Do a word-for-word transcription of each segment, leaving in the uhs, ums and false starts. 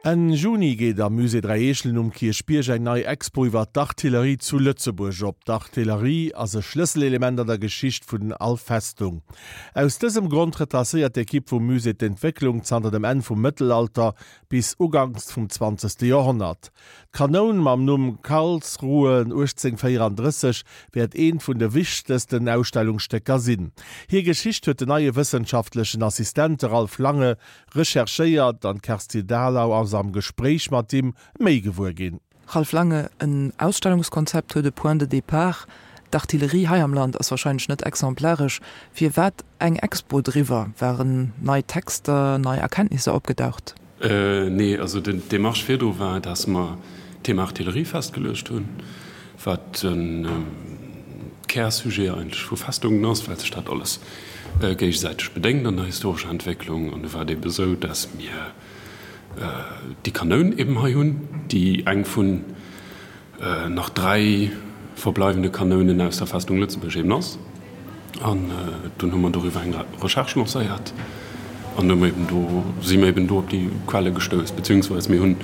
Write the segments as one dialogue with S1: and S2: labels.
S1: Enn Juni geet am Musée Dräi Eechelen um Kierchbierg eng nei Expo iwwer d'Artillerie zu Lëtzebuerg op. D'Artillerie ass e Schlësselelement an der Geschicht vun all Festung. Aus dësem Grond retracéiert d'Ekipp vum Musée d'Entwécklung zanter dem Enn vum Mëttelalter bis uganks vum zwanzegste Joerhonnert. D'Kanoun mam Numm Karlsruhe uechtzéngvéierandrësseg wäert eent vun de wichtegsten Ausstellungsstécker sinn. Hir Geschicht huet den neie wëssenschaftlechen Assistent, de Ralph Lange, recherchéiert an d'Kerstin Thalau ass am Gespréich mat him méi gewuer ginn.
S2: Ralph Lange, En Ausstellungskonzept huet e Point de départ. D'Artillerie hei am Land ass warscheinlech net exemplaresch. Firwat eng Expo driwwer? Waren nei Texter, nei Erkenntnisser opgedaucht?
S3: Nee, also d'Demarche virdru war, dass mer d'Thema Artillerie festgeluecht hunn, wat de Kärsujet eigentlech vu Festungen ass, well sech dat alles géigesäiteg bedéngt an der historescher Entwécklung. An du war et ebe sou, dass mir déi Kanoun eben hei hunn, déi eng vun nach dräi verbleiwende Kanounen aus der Festung Lëtzebuerg eben ass. An dunn hu mer doriwwer eng Recherche lancéiert an hu mer eben do, si mer eben do op déi Quelle gestouss, beziehungsweise mir hunn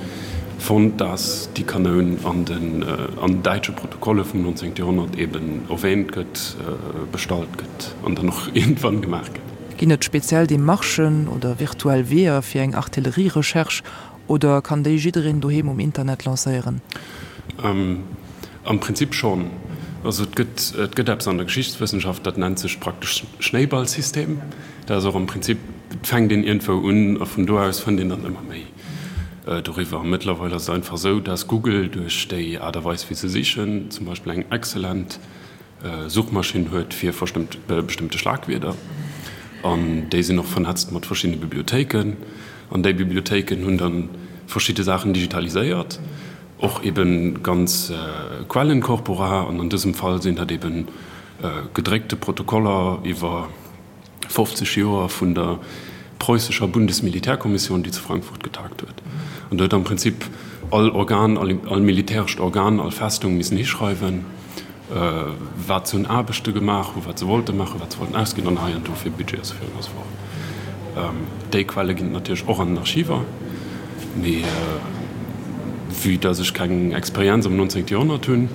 S3: fonnt, dass déi Kanoun an den an däitsche Protokolle vum nonzéngte Joerhonnert eben erwähnt gëtt, bestallt gëtt an dann och iergendwann gemaach gëtt.
S2: Ginn et speziell Demarchen oder virtuell Weeër fir eng Artillerierecherche oder kann déi jiddereen doheem um Internet lancéieren?
S3: Am Prinzip schonn. Also et gëtt, et gëtt eppes an der Geschichtswëssenschaft, dat nennt sech praktesch Schnéiballsystem. Dat ass och am Prinzip, et fänkt een iergendwou un a vun do aus fënnt een dann ëmmer méi doriwwer. Mëttlerweil ass et einfach esou, dass Google duerch déi Aart a Weis wéi se sichen, zum Beispill eng exzellent Suchmaschinn huet fir verstëmmt, bestëmmte Schlagwierder. An déi sinn och vernetzt mat verschiddene Bibliothéiken. An déi Bibliothéiken hunn dann verschidde Saachen digitaliséiert. Och eben ganz Quellenkorpora, an an dësem Fall sinn dat eben gedréckte Protokoller iwwer fofzeg Joer vun der preussescher Bundesmilitärkommission, déi zu Frankfurt getagt huet. An do huet am Prinzip all Organ, all militärescht Organ, all Festung missen hischreiwen, wat se un Aarbechte gemaach hunn, wat se wollte maachen, wat se wollten ausginn an hei an do fir Budget a sou virun a sou fort. Déi Quelle ginn et natierlech och an den Archiver, mee vue dass ech keng Experienz am nonzéngte Joerhonnert hunn,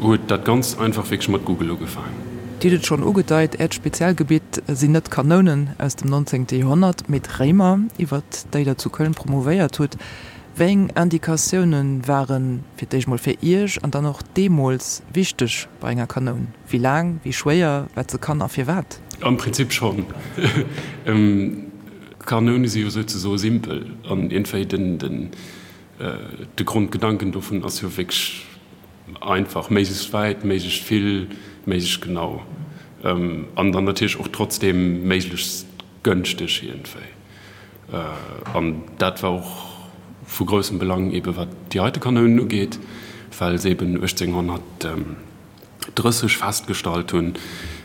S3: huet dat Ganzt einfach wierklech mat Google ugefaangen.
S2: Dir hutt et schonn ugedeit, Äert Spezialgebitt sinn net d'Kanounen aus dem nonzéngte Joerhonnert, mee d'Réimer, iwwert déi Der zu Köln promouvéiert hutt. Wéi eng Indikatioune ware fir d'éischt mol fir Iech an dann och deemools wichteg bei enger Kanoun? Wéi laang, wéi schwéier, wat se kann a firwat?
S3: Am Prinzip schonn. Kanoune si jo souzesoe simpel an iergendwéi den de Grondgedanken dovun ass jo wierklech einfach, méiglechst wäit, méiglechst vill, méiglechst genau an dann natierlech och trotzdeem méiglechst gënschteg iergendwéi. An dat war och vu groussem Belang eebe wat déi heite Kanounen ugeet, well se eeben uechtzénghonnertdrësseg festgestallt hunn,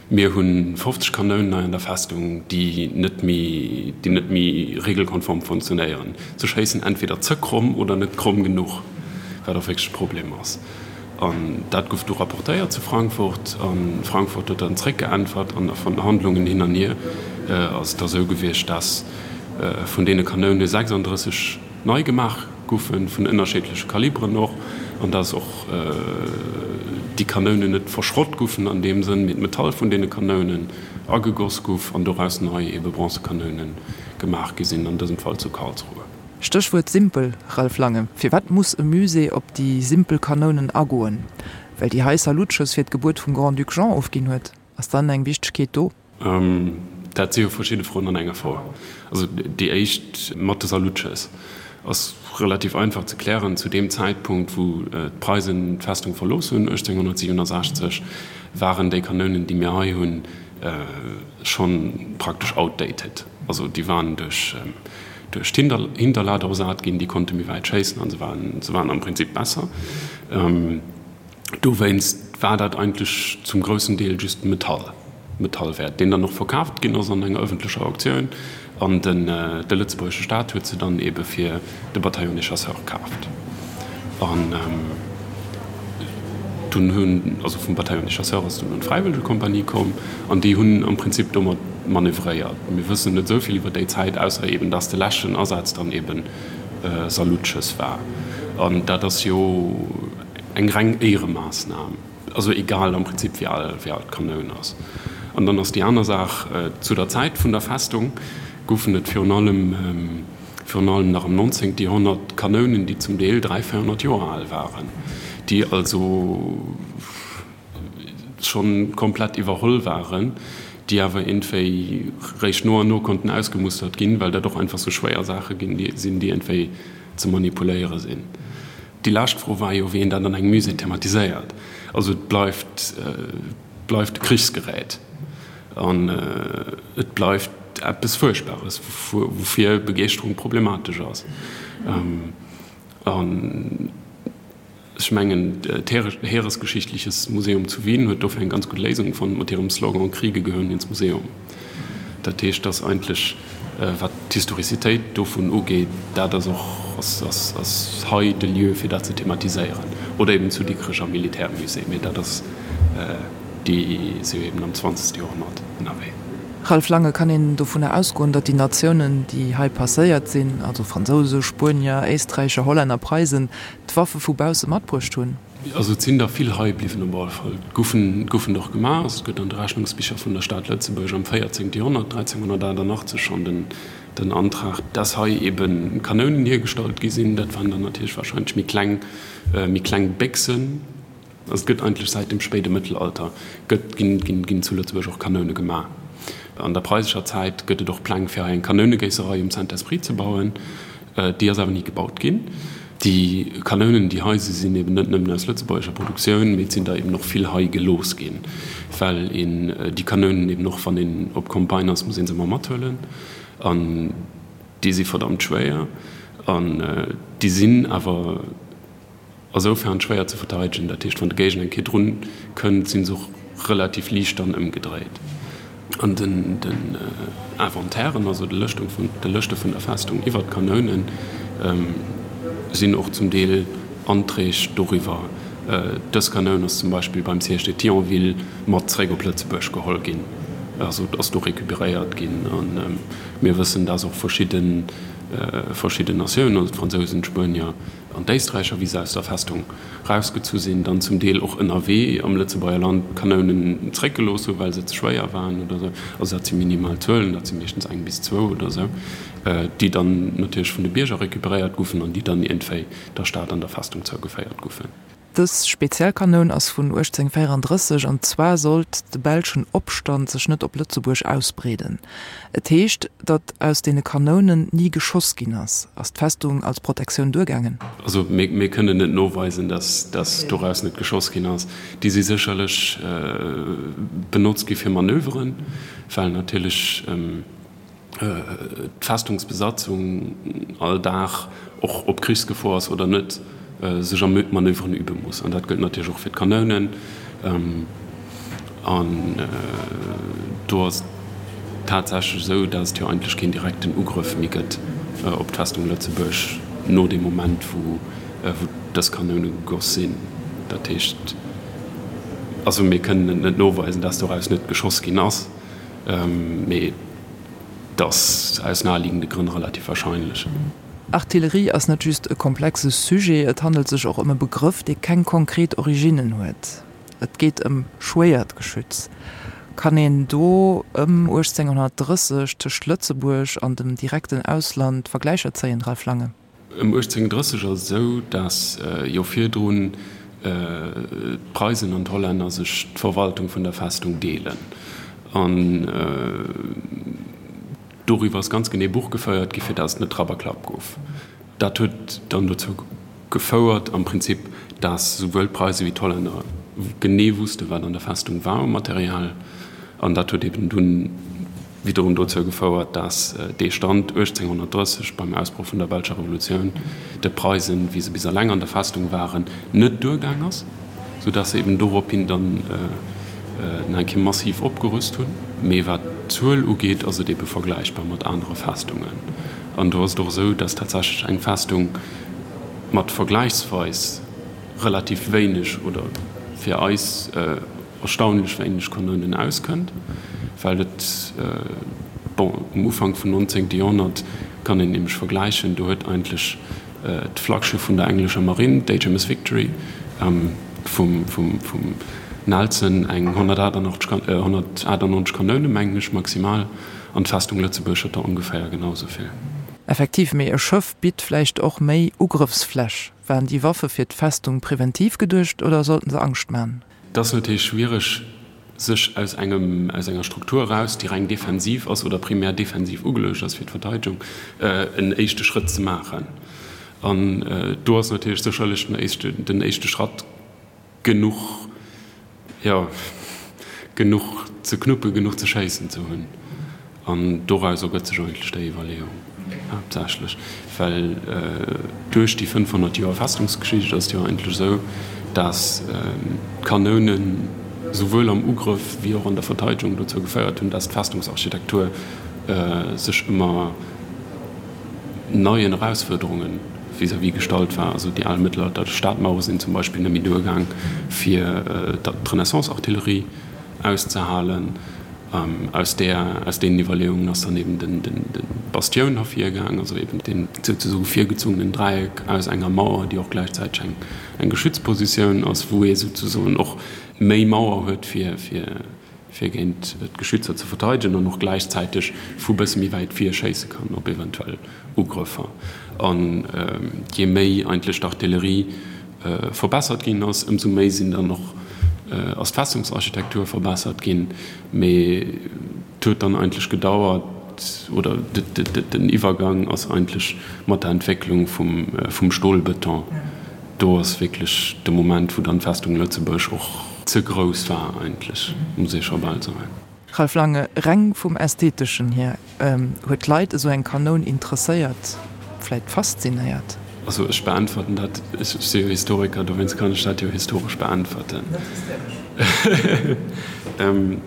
S3: mir hu fofzeg Kanounen hei an der Festung, déi net méi, déi net méi regelkonform funktionéieren. Se schéissen entweder ze kromm oder net kromm genuch, wat och wierklech e Problem ass. An dat gouf du rapportéiert zu Frankfurt a Frankfurt huet dann zréckgeäntwert an a Verhandlungen hin an hier ass et da sou gewiescht, dass vun deene Kanoune sechsandrësseg nei gemaach goufen, vun ënnerscheedleche Kaliberen och, an dass och déi Kanounen net verschrott goufen an deem Sënn, mee d'Metall vun deene Kanounen agegoss gouf an doraus nei ebe Bronzekanoune gemaach gi sinn, an dësem Fall zu Karlsruhe.
S2: Stéchwuert simpel, Ralph Lange, Firwat muss e Musée op déi simpel Kanounen agoen? Well déi hei Salutschëss fir d'Gebuert vum Grand-Duc Jean ofginn huet? Ass dann eng Wichtegkeet do?
S3: Dat si jo verschidde Froen an enger Fro. Also déi éischt mat de Salutschëss ass relativ einfach ze klären. Zu deem Zäitpunkt, wou d'Preisen d'Festung verlooss hunn, uechtzénghonnertsiewenundsechzeg, waren déi Kanounen, déi mir hei hunn, schonn praktesch outdated. Also déi waren duerch duerch d'Hinterlader ersat ginn, déi konnte méi wäit schéissen an se waren se waren am Prinzip besser. Dowéinst war dat eigentlech zum groussen Deel just Metall, Metallwäert, deen dann och verkaaft ginn ass an enger ëffentlecher Auktioun an den de lëtzebuergesche Staat huet se dann eebe fir de Bataillon des Chasseurs kaaft. An dunn hunn, also vum Bataillon des Chasseurs ass dunn an d'Fräiwëllegekompanie komm an déi hunn am Prinzip domat manövréiert. Mir wëssen net esou vill iwwer déi Zäit, ausser eben, dass de leschten Asaz dann eben Salutschëss war. An dat ass jo eng reng Éieremaassnam, also egal am Prinzip wéi al wéi al d'Kanoun ass. An dann ass déi aner Saach, zu der Zäit vun der Festung goufen et virun allem virun allem nach am nonzéngte Joerhonnert Kanounen, déi zum Deel dräi, véierhonnert Joer al waren, déi also schonn komplett iwwerholl waren, déi awer iergendwéi réischt no an no konnten ausgemustert ginn, well dat och einfach sou schwéier Saache ginn sinn, déi iergendwéi ze manipuléiere sinn. Déi lescht Fro war jo, wéi een dat an engem Musée thematiséiert. Also et bleift, et bleift e Krichsgerät an et bleift eppes Fuerchtbares, woufir Begeeschterung problematesch ass. An ech mengen, d'Heeresgeschichtliches Museum zu Wien huet dofir eng ganz gutt Léisung fonnt mat hirem Slogan Kriege gehören ins Museum. Dat heescht, dass eigentlech, wat d'Historizitéit dovun ugeet, dat ass och ass hei de Lieu, fir dat ze thematiséieren. Oder eben zu Dikrech am Militärmusée, mee dat ass, déi si jo eben am zwanzegste Joerhonnert ënnerwee.
S2: Ralph Lange, Kann een dovunner ausgoen, datt déi Natiounen, déi hei passéiert sinn, also Fransouse, Spuenier, Éisträicher, Hollänner, Preisen, d'Waffe vu bausse matbruecht hunn?
S3: Also et sinn der vill hei bliwwen op alle Fall. Et goufen, goufen der och gemaach. Also et gëtt an de Rechnungsbicher vun der Stad Lëtzebuerg am véierzéngte Joerhonnert, dräizénghunnertachtannachtzeg, schonn den, den Antrag, dass hei ebe Kanounen hiergestallt gi sinn. Dat waren dann natierlech wahrscheinlech méi kleng, méi kleng Béchsen. Also et gëtt eigentlech säit dem spéide Mëttelalter gëtt, ginn, ginn, ginn zu Lëtzebuerg och Kanoune gemaach. An der preisescher Zäit gëtt et och Pläng fir hei eng Kanounegéisserei um Saint-Esprit ze bauen. Déi ass awer ni gebaut ginn. Déi Kanounen, déi hei si sinn eben net nëmmen aus lëtzebuergescher Produktioun, mee et sinn der eben och vill hei gelooss ginn, well een déi Kanounen eben och, wann een op Campagne ass, muss ee se ëmmer mathuelen. An déi si verdammt schwéier an déi sinn awer Asoufern schwéier ze verteidegen, dat heescht wann de Géigner eng Kéier drun kënnt, sinn se och relativ liicht dann ëmgedréit. An den Inventairen, also de Lëschtung vun de Lëschte vun der Festung iwwer d'Kanounen, sinn och zum Deel Anträg doriwwer. Dës Kanoun ass zum Beispill beim Siège de Thionville mat zréck op Lëtzebuerg geholl ginn, also ass do recuperéiert ginn. A mir wëssen, dass och verschidde verschidden Natiounen, also d'Fransousen, d'Spuenier, An d'Éisträicher, wéi se aus der Festung rausgezu sinn, dann zum Deel och ënnerwee am Lëtzebuerger Land Kanounen zréckgelooss hunn, well se ze schwéier waren oder esou. Also dat si minimal Zuelen, dat si meeschtens eng bis zwou oder esou, déi dann natierlech vun de Bierger recuperéiert goufen an déi dann iergendwéi der Stad an der Festung zougeféiert goufen.
S2: Dës speziell Kanoun ass vun uechtzéngvéierandrësseg an zwar sollt de belschen Opstand sech net op Lëtzebuerg ausbreeden. Et heescht, datt aus deene Kanounen ni geschoss ginn ass. Ass d'Festung als Protektioun duergaangen?
S3: Also mir mir kënnen net noweisen, datt datt doraus net geschoss ginn ass. Déi si sécherlech benotzt gi fir Manöveren, well natierlech d'Festungsbesatzung all Dag, och ob Krichsgefor ass oder net, sech a Manöveren übe muss. An dat gëllt natierlech och fir d'Kanounen. An do ass et tatsächlech esou, datt et jo eigentlech keen direkten Ugrëff méi gëtt op d'Festung Lëtzebuerg no deem Moment, wou dës Kanoune gegoss sinn. Dat heescht, also mir kënnen et net noweisen, datt doraus net geschoss ginn ass, mee et ass aus naheliegende Grënn relativ wahrscheinlech.
S2: Artillerie ass net just e komplexe Sujet, et handelt sech och ëm e Begrëff, dee keng konkret Originnen huet. Et geet ëm schwéiert Geschütz. Kann een do ëm uechtzénghonnertdrësseg tëscht Lëtzebuerg an dem direkten Ausland Vergläicher zéien, Ralph Lange?
S3: Ëm uechtzénghonnertdrësseg ass et esou, datt jo virdrun d'Preisen an d'Hollänner sech d'Verwaltung vun der Festung deelen. An doriwwer ass ganz genee Buch geféiert gi fir dat et net Trapp a Klapp gouf. Dat huet dann dozou gefouert am Prinzip, dat souwuel d'Preise wéi d'Hollänner genee wusste wat an der Festung war u Material. An dat huet eben dunn widderum dozou gefouert, dat dee Stand uechtzénghonnertdrësseg beim Ausbroch vun der belscher Revolutioun de Preisen, wéi se bis eleng an der Festung waren, net duergaang ass. Sou dass se eben dorophin dann nach eng Kéier massiv opgerüst hunn. Mee wat d'Zuel ugeet, ass et ebe vergläichbar mat anere Festungen. An do ass et och esou, dass tatsächlech eng Festung mat vergläichsweis relativ wéineg oder fir eis erstaunlech wéineg Kanounen auskënnt, well et, bon, um Ufank vum nonzéngte Joerhonnert Kann een nämlech vergläichen, do huet eigentlech d'Flaggschiff vun der englescher Marinn, d'H M S Victory, vum vum Nelson eng honnertachtundneunzeg Kanoune mengen ech maximal, an d'Festung Lëtzebuerg huet der ongeféier genau esou vill.
S2: Effektiv, mee e Schëff bitt vläicht och méi Ugrëffsfläch. Waren déi Waffe fir d'Festung preventiv geduecht oder sollten se Angscht man?
S3: Et ass natierlech schwiereg, sech aus engem, aus enger Struktur eraus, déi reng defensiv ass oder primär defensiv ugeluecht ass fir d'Verteidegung, en éischte Schrëtt ze maachen. An do ass natierlech sécherlech den éischte, den éischte Schratt genuch, jo, genuch ze knuppen, genuch ze schéissen ze hunn. An doraus ergëtt sech eigentlech déi Iwwerleeung haaptsächlech, well duerch déi fënnfhonnert Joer Festungsgeschicht ass et jo eigentlech esou, dass d'Kanounen souwuel am Ugrëff wéi och an der Verteidegung dozou geféiert hunn, dass d'Festungsarchitektur sech ëmmer neien Erausfuerderunge vis-à-vis gestallt war. Also déi al mëttelalterlech Stadmauere sinn zum Beispill net méi duergaang, fir d'Renaissance-Artillerie auszehalen. Aus där, aus deenen Iwwerleeungen ass dann eben den, den, den Bastioun hervirgaang, also eben deen souzesoe virgezungenen Dräieck aus enger Mauer, déi och gläichzäiteg eng, eng Geschützpositioun ass, wou ee souzesoen och méi Mauer huet, fir, fir, fir géint d'Geschützer ze verteidegen an och gläichzäiteg vu bësse méi wäit vir schéisse kann op eventuell Ugrëffer. An je méi eigentlech d'Artillerie verbessert ginn ass, ëmsou méi sinn dann och ass d'Festungsarchitektur verbessert ginn, mee et huet dann eigentlech gedauert, oder den Iwwergang ass eigentlech mat der Entwécklung vum Stolbeton, do ass wierklech de Moment, wou dann d'Festung Lëtzebuerg och ze grouss war eigentlech, muss ee scho bal soen.
S2: Ralph Lange, Reng vum Ästheteschen hier, huet d'Leit esou eng Kanoun interesséiert, vläit faszinéiert?
S3: Also ech beäntwerten dat, ech si jo Historiker, dowéinst kann ech dat jo historesch beäntwerten.
S2: Net hysteresch.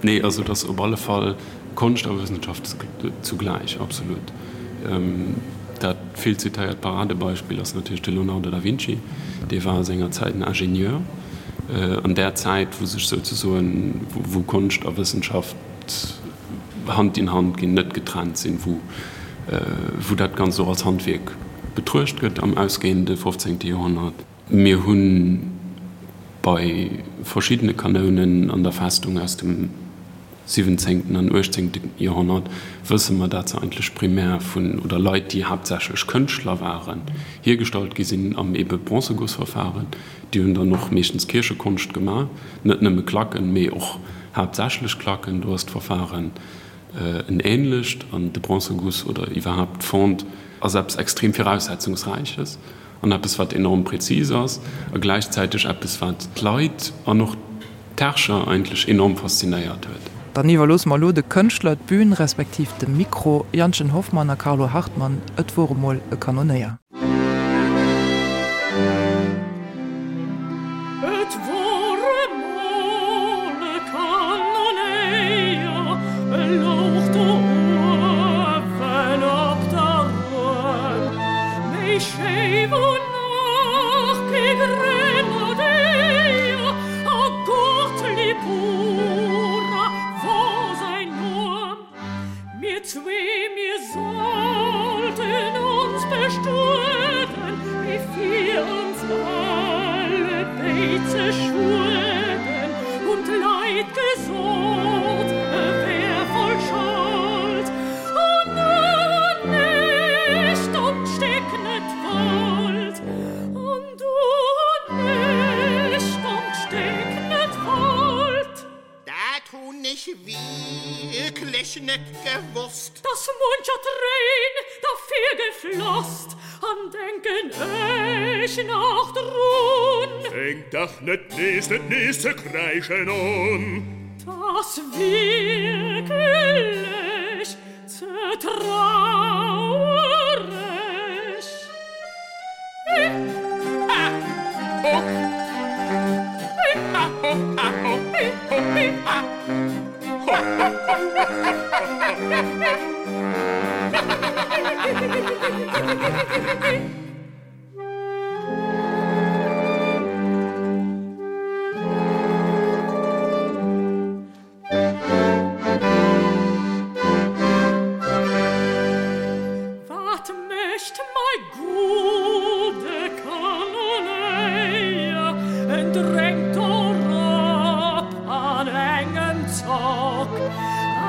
S3: Nee, also et ass op alle Fall Konscht a Wëssenschaft zugläich, absolut. Dat vill zitéiert Paradebeispill ass natierlech de Leonardo da Vinci. Dee war a senger Zäit en Ingenieur. An där Zäit, wou sech souzesoen, wou Konscht a Wëssenschaft Hand in Hand ginn, net getrennt sinn, wou wou dat Ganzt och als Handwierk betruecht gëtt am ausgehende fofzéngte Joerhonnert. Mir hu bei verschiddene Kanounen an der Festung aus dem siwwenzéngten an uechtzéngte Joerhonnert wësse mer, dat se eigentlech primär vun, oder Leit, déi haaptsächlech Kënschtler waren, hiergestallt gi sinn am ebe Bronzegussverfahren. Déi hunn dann och meeschtens Kierchekonscht gemaach, net nëmme Klacken, mee och haaptsächlech Klacken. Do ass d'Verfahren en ähnlecht, an de Bronzeguss oder iwwerhaapt d'Fonte ass eppes extrem Viraussetzungsräiches an eppes, wat enorm präzis ass a gläichzäiteg eppes, wat d'Leit an och d'Herrscher eigentlech enorm faszinéiert huet.
S2: Dann iwwerloosse mer elo de Kënschtler d'Bün, respektiv de Mikro. Jantchen Hoffmann a Carlo Hartmann, Et wor emol e Kanonéier.
S4: Et wor emol e Kanonéier, e louch do uewen op der Rued, méi schéi wor nach kee Grenadéier, a Gottlieb Ura wor säin Numm. Mir zwee, mir sollten ons bestueden, bevir ons alle béid ze schueden, und Leid gesot, e wär voll Schold. O nu nicht und steck net wollt, an du nicht und steck net wollt.
S5: Dat hun ech wierklech net gewosst.
S4: Dass muncher Tréin derfir geflosst, an denken ech nach drun.
S6: Fänk dach net nees, net nees ze kräischen un.
S4: T'ass wierklech ze trauereg. Hi, ha, ho. Hi, ha, ho, ha, ho, hi, ho, hi, ha. Ho, ho, ho, ho, ho, ho, ho, ho. Wat Bock.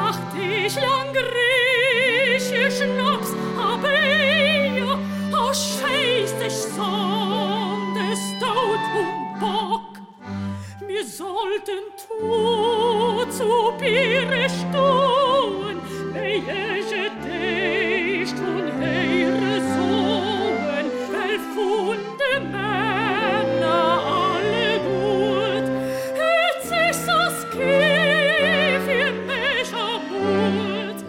S4: Acht ich lang Grieche Schnaps hab er, oh scheiß dich Sohn des Tod um Bock. Wir sollten tot zu Biere stohn, welche dich tun heire soen, well funde Männer alle gut, het sich das Kind für mich ermut,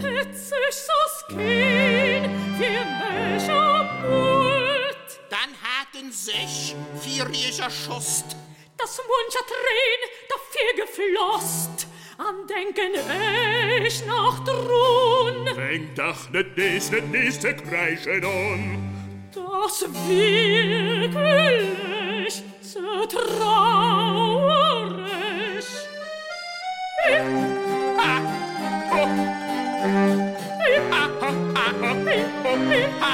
S4: het sich das Kind für mich ermut.
S5: Dann hatten sich vier Jäger schost,
S4: dass muncher Tränen dafür gefloßt, an denken ich noch drun.
S6: Fäng dach net nes, net nes ze kreischen on.
S4: Das wirklich zu traurig.
S5: Ha, ho. Ha, ho, ha, ho, ho, ha.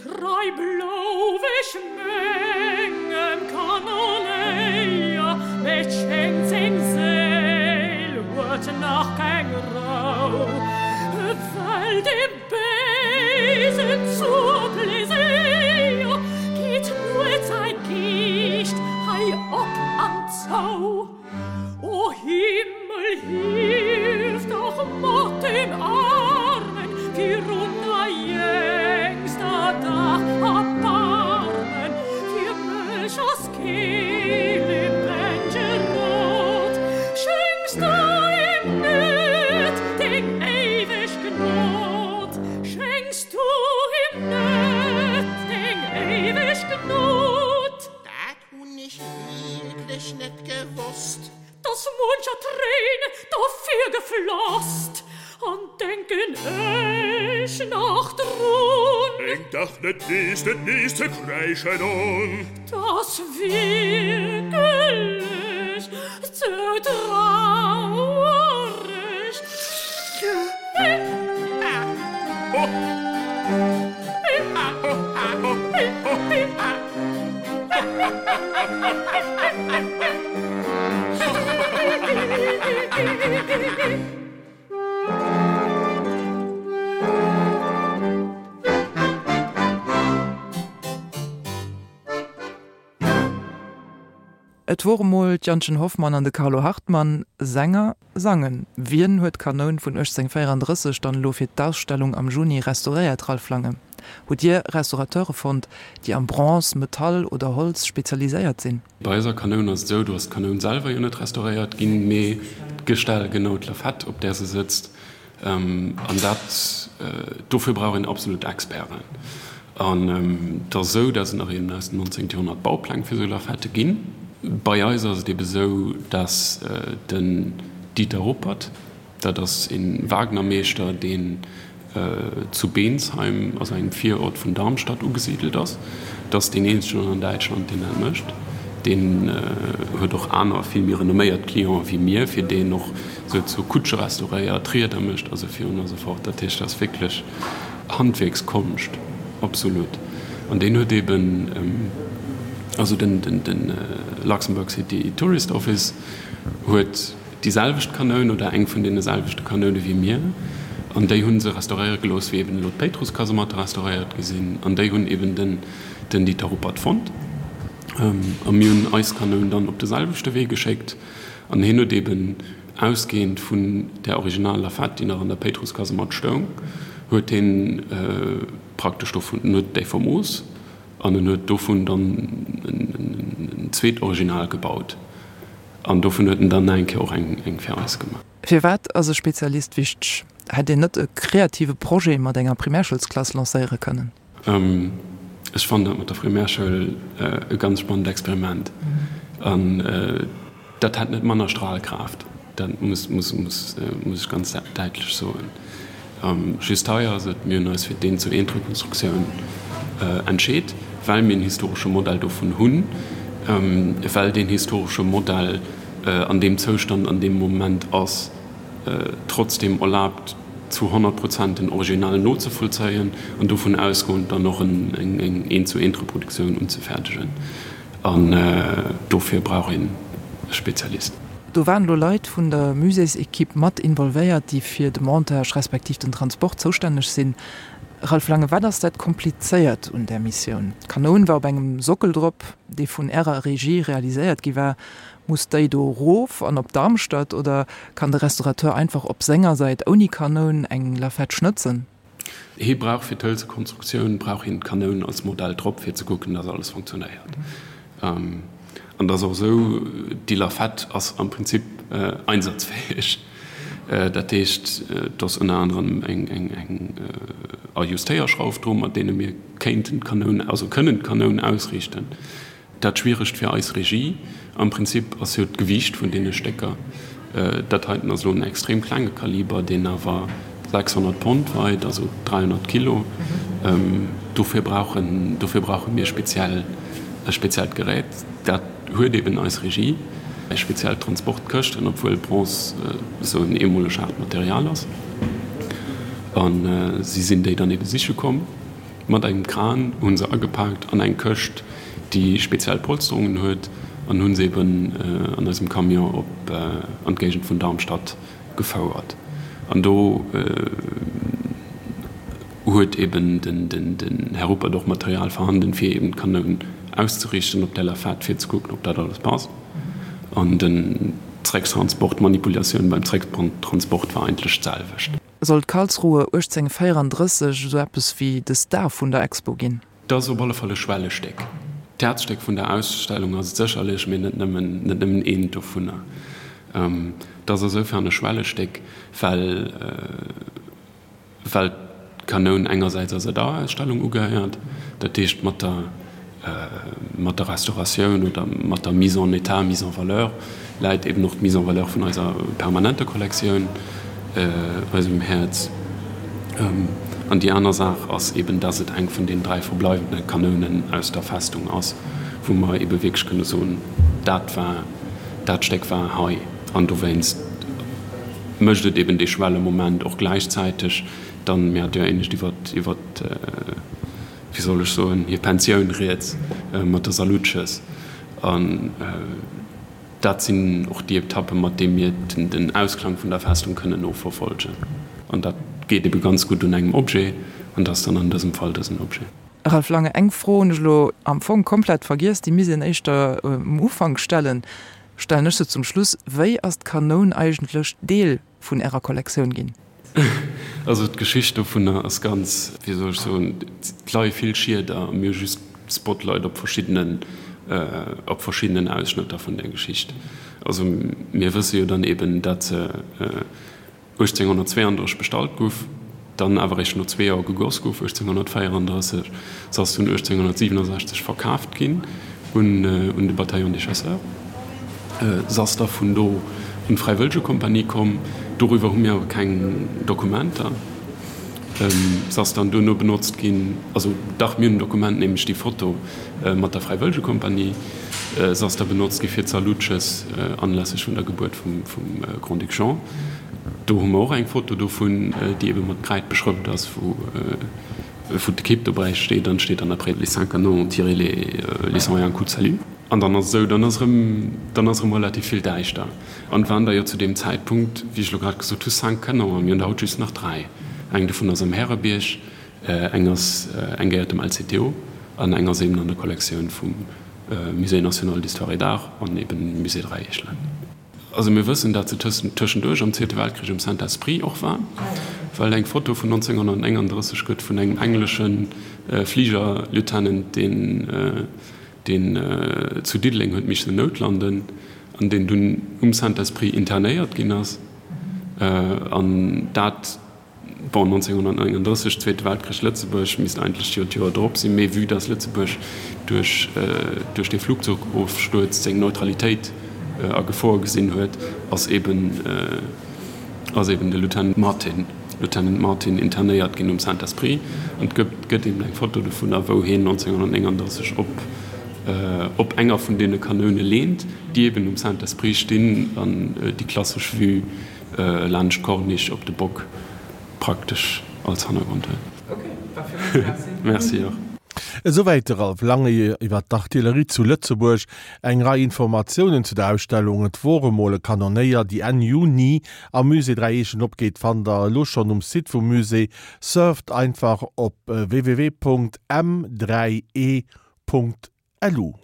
S4: Drei blauwisch Mengen Kanoneia, mit Schänzing Seel, huet nach kein Rau. Weil dem Besen zur Pläsier geht nur sein Gicht hei op an Zau. O Himmel, hilf doch Mord dem Armen, die runter jüngster Dach erbarmen, für mich as Kehle Benjerot, schenkst du ihm nüt den ewig Gnod, schenkst du ihm nüt den ewig Gnod.
S5: Dat hun ich wirklich net gewusst.
S4: Dass muncher Träne dafür gefloßt, an denken ich noch drun.
S6: Eng dach net nes, net nes ze kreischen on.
S4: Das wirklich zu traurig.
S5: Ha, ho. Ha, ho, ha, ho, ho, ha.
S2: Et wor mol d'Jannchen Hoffmann an de Carlo Hartmann, Sänger, sangen. Wien huet d'Kanoun vun achtzénghonnertvéierandrësseg dann elo fir d'Ausstellung am Juni restauréiert, Ralph Lange? Hutt Dir Restaurateure fonnt, déi am Bronze, Metall oder Holz spezialiséiert sinn?
S3: Bei eiser Kanoun ass et esou, do ass d'Kanoun selwer jo net restauréiert ginn, mee d'Gestell, genau d'Lafette, op där se sëtzt. An dat, dofir brauch een absolut Experten. An et ass esou, dass et nach eben aus dem neunzehnten Joerhonnert Baupläng fir esou Lafette ginn. Bei eis ass et ebe sou, dass den Dieter Ruppert, dat ass e Wagnermeeschter, deen zu Bensheim, also engem Virort vun Darmstadt, ugesidelt ass, dat ass deen eenzegen an Däitschland, deen dat mécht. Deen huet och aner, vill méi renomméiert Clienten wéi mir, fir déi en och souzesoe Kutsche restauréiert, Rieder mécht a sou virun a sou fort. Dat heescht, dat ass wierklech Handwierkskonscht, absolut. An deen huet eben, also den Luxembourg City Tourist Office huet déi selwecht Kanoun oder eng vun deene selwechte Kanoune wéi mir, an déi hu se restauréiere gelooss, wéi eben elo d'Péitruss-Kasematte restauréiert gi sinn, an déi hunn eben den den Dieter Ruppert fonnt. A mir hunn eis Kanoun dann op de selwechte Wee geschéckt, an hien huet eben ausgehend vun där original Lafette, déi nach an der Péitruss-Kasematt stoung, huet hien praktesch dovun, en huet déi vermooss an en huet dovun dann en zweet Original gebaut. An dovun huet en dann nach eng Kéier och eng fir eis gemaach.
S2: Firwat ass e Spezialist wichteg? Hätt een net e kreative Projet mat enger Primärschoulsklass lancéiere kënnen?
S3: Ech fannen dat mat der Primärschoul e ganz spannend Experiment. An dat hätt net manner Strahlkraft, dat muss muss ech ganz däitlech soen. Just hei ass et, mir hunn eis fir d'Eent-zu-eent-Rekonstruktioun entscheet, well mir en historesche Modell dovun hunn, well deen historesche Modell an deem Zoustand an deem Moment ass, trotzdeem erlaabt, zu honnert Prozent den Original nozevollzéien an dovun ausgoend dann och eng Eent-zu-eent-Reproduktioun unzefäerdegen. An dofir brauch een e Spezialist.
S2: Do waren elo Leit vun der Muséeséquipe mat involvéiert, déi fir de Montage respektiv den Transport zoustänneg sinn. Ralph Lange, wat ass dat Komplizéiert un där Missioun? D'Kanoun war op engem Sockel drop, dee vun Ärer Regie realiséiert gi war. Muss déi do erof an op Darmstadt oder kann de Restaurateur einfach op senger Säit ouni Kanoun eng Lafette schnëtzen?
S3: Hie brauch fir d'Hëlzekonstruktioun brauch hien d'Kanoun als Modell drop, fir ze kucken, dass alles funktionéiert. An et ass och esou, déi Lafette ass am Prinzip einsatzfäeg. Dat heescht, et ass ënner anerem eng Ajustéierschrauf dru mat deene mir kéinten d'Kanoun, also kënnen d'Kanoun ausriichten. Dat Schwieregt fir eis Regie am Prinzip ass jo d'Gewiicht vun deene Stécker. Dat heiten ass elo en extrem klenge Kaliber, deen awer sechshonnert Pond weit, also dräihonnert Kilo. Dofir brauchen, dofir brauche mir speziell, e speziellt Gerät. Dat huet eben eis Regie, speziell Transportkëschten, obwuel Bronze esou en eemoleg haart Material ass. A si sinn déi dann ebe siche komm. Mat engem Kran hu se agepaakt an eng Këscht, déi speziell Polsterungen huet, an hu se eben an eisem Camion op an d'Géigend vun Darmstadt gefouert. An do huet eben den Här Ruppert och Material vorhanden, fir eben d'Kanoun auszeriichten op der Lafette, fir ze kucken, ob dat alles passt. An den Zrécktransport, d'Manipulatioun beim Zrécktransport war eigentlech d'selwecht.
S2: Sollt Karlsruhe uechtzénhunnertvéierandrësseg esou eppes wéi de Star vun der Expo ginn?
S3: Et ass op alle Fall e Schwellestéck. D'Häerzstéck vun der Ausstellung ass et sécherlech, mee net nëmmen, net nëmmen eent dovunner. Et ass esoufern e Schwellestéck, well, well d'Kanoun engersäits eiser Dauerausstellung ugehéiert, dat heescht mat der, mat der Restauratioun oder mat der Mise en état, Mise en valeur läit eben och d'Mise en valeur vun eiser permanenter Kollektioun eisem Häerz. An déi aner Saach ass eben, dass et eng vun den dräi verbleiwende Kanounen aus der Festung ass, wou mer ebe wierklech kënne soen, dat war, dat Stéck war hei. An dowéinst mécht et eben dee Schwellemoment och gläichzäiteg dann, mir hate jo éinescht iwwer, iwwer, wéi soll ech soen, hir Pensioun rieds mat der Salutschëss. An dat sinn och déi Etappen, mat deem mir den Ausklang vun der Festung kënnen noverfolgen. An dat geet ebe ganz gutt un engem Objet, an dat ass dann an dësem Fall dësen Objet.
S2: Ralph Lange, Eng Fro hunn ech elo am Fong komplett vergiess, déi misst een éischter um Ufank stellen, stellen ech se zum Schluss, Wéi ass d'Kanoun eigentlech Deel vun Ärer Kollektioun ginn?
S3: Also d'Geschicht dovunner ass ganz, wéi soll ech soen, et leie vill Schieder a mir hu just d'Spotlight op verschiddenen, op verschiddenen Ausschnëtter vun där Geschicht. Also mir wësse jo dann eben, datt se uechtzénghonnertzweeandrësseg bestallt guff, dann awer eréischt no zwee Joer gegoss guff, uechtzénghonnertvéierandrësseg. Se ass dunn uechtzénghonnertsiwwenundsechzeg verkaaft ginn un de Bataillon des Chasseurs. Se ass da vun do un d'Fräiwëllegekompanie komm. Doriwwer hu mir awer keng Dokumenter. Se ass dann duerno benotzt ginn, also dach, mir hunn en Dokument, nämlech déi Foto mat der Fräiwëllegekompanie. Se ass da benotzt gi fir d'Salutschëss anlässlech vun der Gebuert vum Grand-Duc Jean. Do hu mer och eng Foto dovun, déi ebe mat Kräid beschrëft ass, wou d'Ekipp dobäi steet an et steet dann après les cinq canons ont tiré les cent et un coups de salut. An dann ass et esou, dann ass erëm, dann ass erëm relativ vill däischter. An et waren der jo zu deem Zäitpunkt, wéi ech elo grad gesot hu, cinq canons a mir hunn der haut just nach dräi. Eng dovun ass am Härebierg, eng ass, eng gehéiert dem L C T O an eng ass eben an der Kollektioun vum Musée national d'histoire et d'art an eben Musée Dräi Eechelen. Also mir wëssen, dat se tëschenduerch am Zweete Weltkrich um Saint-Esprit och war, well et eng Foto vun nonzénghonnertnénganddrësseg gëtt vun engem englesche Fligerlieutenant, deen deen zu Diddeleng huet missen noutlanden an deen dunn um Saint-Esprit internéiert ginn ass. An dat, bon, nonzénghonnertnénganddrësseg, Zweete Weltkrich, Lëtzebuerg, misst eigentlech jo d'Joer drop sinn, mee vue dass Lëtzebuerg duerch duerch dee Flugzeugofstuerz seng Neutralitéit a Gefor gesinn huet, ass eben ass eben de Lieutenant Martin, Lieutenant Martin internéiert ginn um Saint-Esprit. An et gëtt gëtt eben eng Foto dovunner, wou hien nonzénghonnertnénganddrësseg op op enger vun deene Kanoune leent, déi eben um Saint-Esprit stinn an déi klassesch Vue laanscht d'Corniche op de Bock praktesch als Hannergrond huet. Merci och.
S1: Esouwäit de Ralph Lange iwwer d'Artillerie zu Lëtzebuerg. Eng Rei Informatiounen zu der Ausstellung Et wor emol e Kanonéier, déi Enn Juni am Musée Dräi Eechen opgeet, fannt der elo schonn um Site vum Musée. Surft einfach op www.m dräi e. Lu.